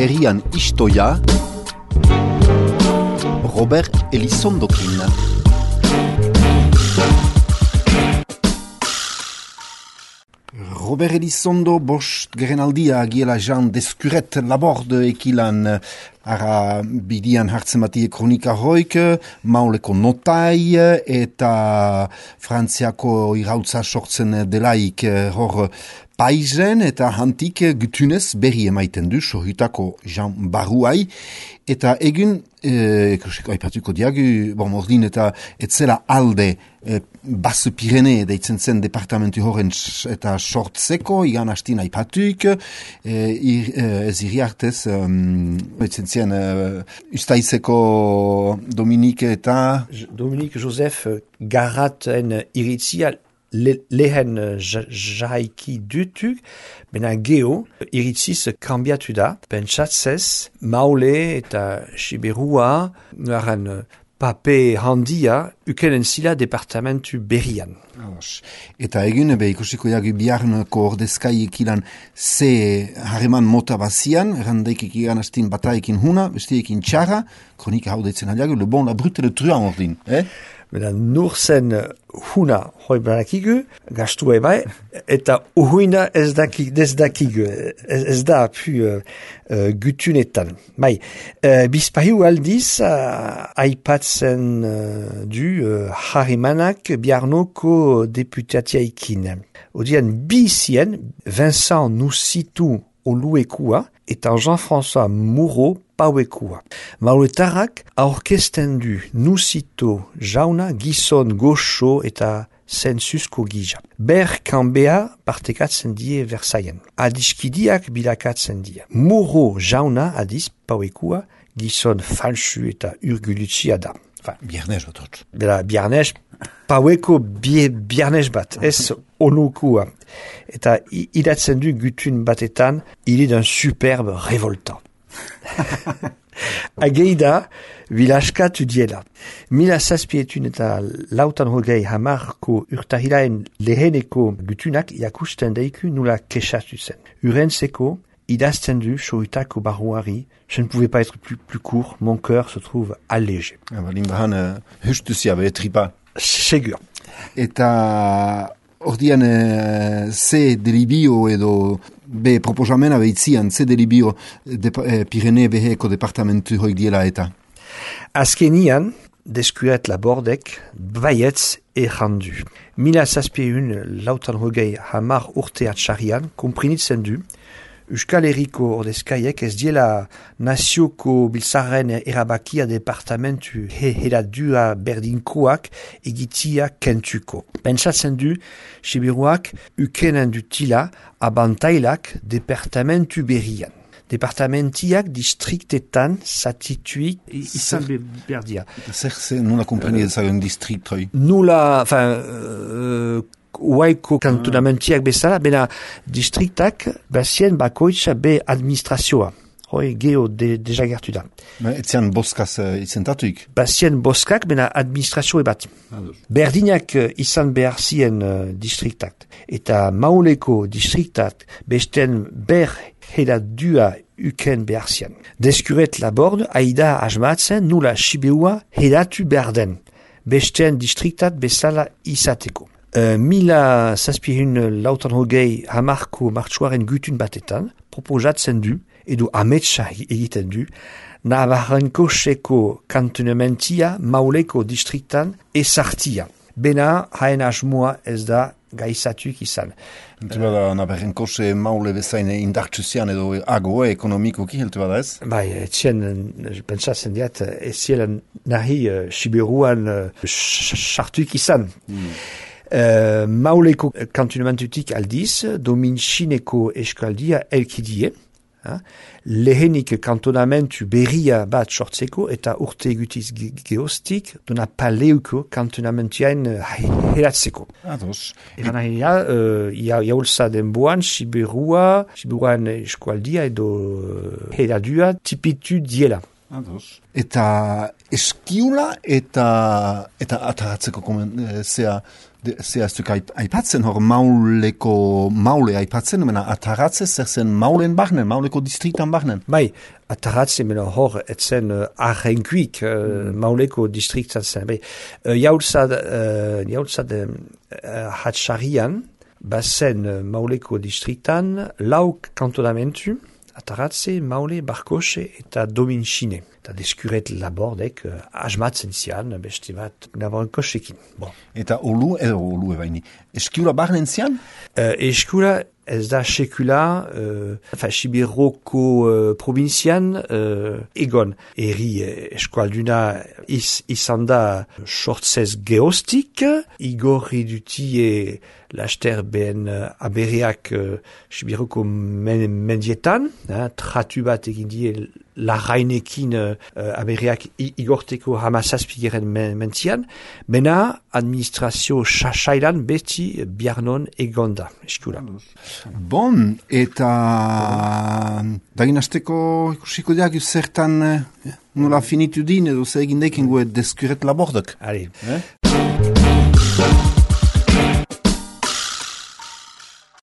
herrian istoia, Robert Elizondokin. Robert Elizondo bost gerenaldia giela Jean Descuret laborde ekilan ara bidian hartzen batie kronika hoik, mauleko notai eta frantziako irautza sortzen delaik hor paizen eta hantik gutunez berri emaiten du sohutako Jean Baruai eta egun aipatuko diagu, ordin eta etzela alde Basse Pirene deitzen zen departamentu horren eta sortzeko, igan hastin aipatuk, ez iriartez, deitzen zen ustaizeko Dominique eta... Dominique Joseph Garraten iritzia lehen jaiki dutuk, bena geo iritziz kambiatu da, pentsatzez, maule eta siberua, garen pape handia, ukenen zila departamentu berrian. Eta egun, ikusiko jagu biharneko ordezkai ekilan ze harreman mota bazian, errandeik ekigan astin bataekin huna, bestiekin txarra, kronika hau deitzen aliagu, le bon, la brute, le truan ordin, Bena nur zen huna hoi barakigu, gastu bai, eta uhuina ez dakigu, ez da pu gutunetan. Bai, bizpahiu aldiz aipatzen du harrimanak biarnoko deputatiaikin. Odian bizien, Vincent Nusitu oluekua, eta Jean-François Moreau pauekua. Mauletarrak aurkesten du Nusito jauna gizon goxo eta zensusko gija. Ber kanbea partekatzen die Versailles. Adiskidiak bilakatzen die. Moreau jauna adiz pauekua gizon falsu eta urgulutsia da. Biarnez bat hot. Bela biarnez, paueko biarnez bat, ez onukua. Eta idatzen du gutun batetan, il est d'un superbe révoltant. Ageida, vilaskatu diela. Mila zazpietun eta lautan hogei hamarko urtahilaen leheneko gutunak jakusten deiku nula kesatu zen. Urentzeko, idazten du sohutako barruari, je ne pouvais pas être plus court, mon cœur se trouve allégé. Limbahan hustuzia behetripa. Segur. Eta ordian ze delibio edo be proposamena behitzian, ze delibio Pirene beheko departamentu hoik diela eta? Azkenian, Descuret labordek, baietz errandu. Mila zazpieun lautan hogei hamar urte atxarian, komprinitzen du, Euskal Herriko ordezkaiek ez diela nazioko biltzarren erabakia departamentu heradua berdinkoak egitia kentuko. Pentsatzen du, siberuak ukenen dutila abantailak departamentu berrian. Departamentiak distriktetan zatituik izan berdia. Zer nula kompreni ezagun distriktoi? Nula, Uaiko kantonamentiak bezala, bena distriktak bazien bakoitza be administrazioa. Hoi geho deja gertu da. Etzian boskaz izentatuik? Bazien boskak, bena administrazioa bat. Berdinak izan behar zien distriktak. Eta mauleko distriktak besten ber hedadua uken behar zien. Descuret laborde aida asmatzen nula sibeua hedatu berden. Besten distriktat bezala izateko. Mila zazpihun lautan hogei hamarko martxuaren gutun batetan, proposatzen du, edo ametsa egiten du, Navarrenko seko kantonamentia mauleko distriktan ezartia. Bena haen asmoa ez da gaizatuk izan. Heltu bada Navarrenko se maule bezain indartsuzian edo agoe ekonomikoki heltu bada ez? Bai, etxen, pentsatzen diat, ez zielan nahi siberuan sartuk izan. Mauleko kantonamentutik aldiz, dominxineko eskaldia elkidie, lehenik kantonamentu berria bat sortzeko eta urte egutiz geostik, dona paleuko kantonamentuain heratzeko. Ados. Eran jaulza denboan, siberuan eskaldia edo heradua tipitu diela. Ados. Eta eskiula eta ataratzeko zea Zehaztuk aipatzen hor maule aipatzen, mena ataratze zer zen maulen barnen, mauleko distriktan barnen. Bai, ataratze mena hor etzen arrenkuik mauleko distriktan zen. Bai, jaulzad hatxarian, bazen mauleko distriktan lau kantonamentu, ataratze, maule, barkose eta dominxine. Eta deskuret labordek asmatzen zian, beste bat naboren kosekin. Bon. Eta olu ebaini. Eskula barnen zian? Eskula ez da sekula, Sibiroko provinzian egon. Eri eskualduna izan da sortzez geostik, igorri dutie laster ben aberiak Sibiroko mendietan, tratu bat egin die larrainekin aberiak igorteko hamazazpigeren mentzian, bena administrazio sasailan beti biarnon egonda, eskula. Bon, eta dagin hasteko ikusiko diak zertan nola finitu din edo zer egin dekin deskuret labordok. Allez.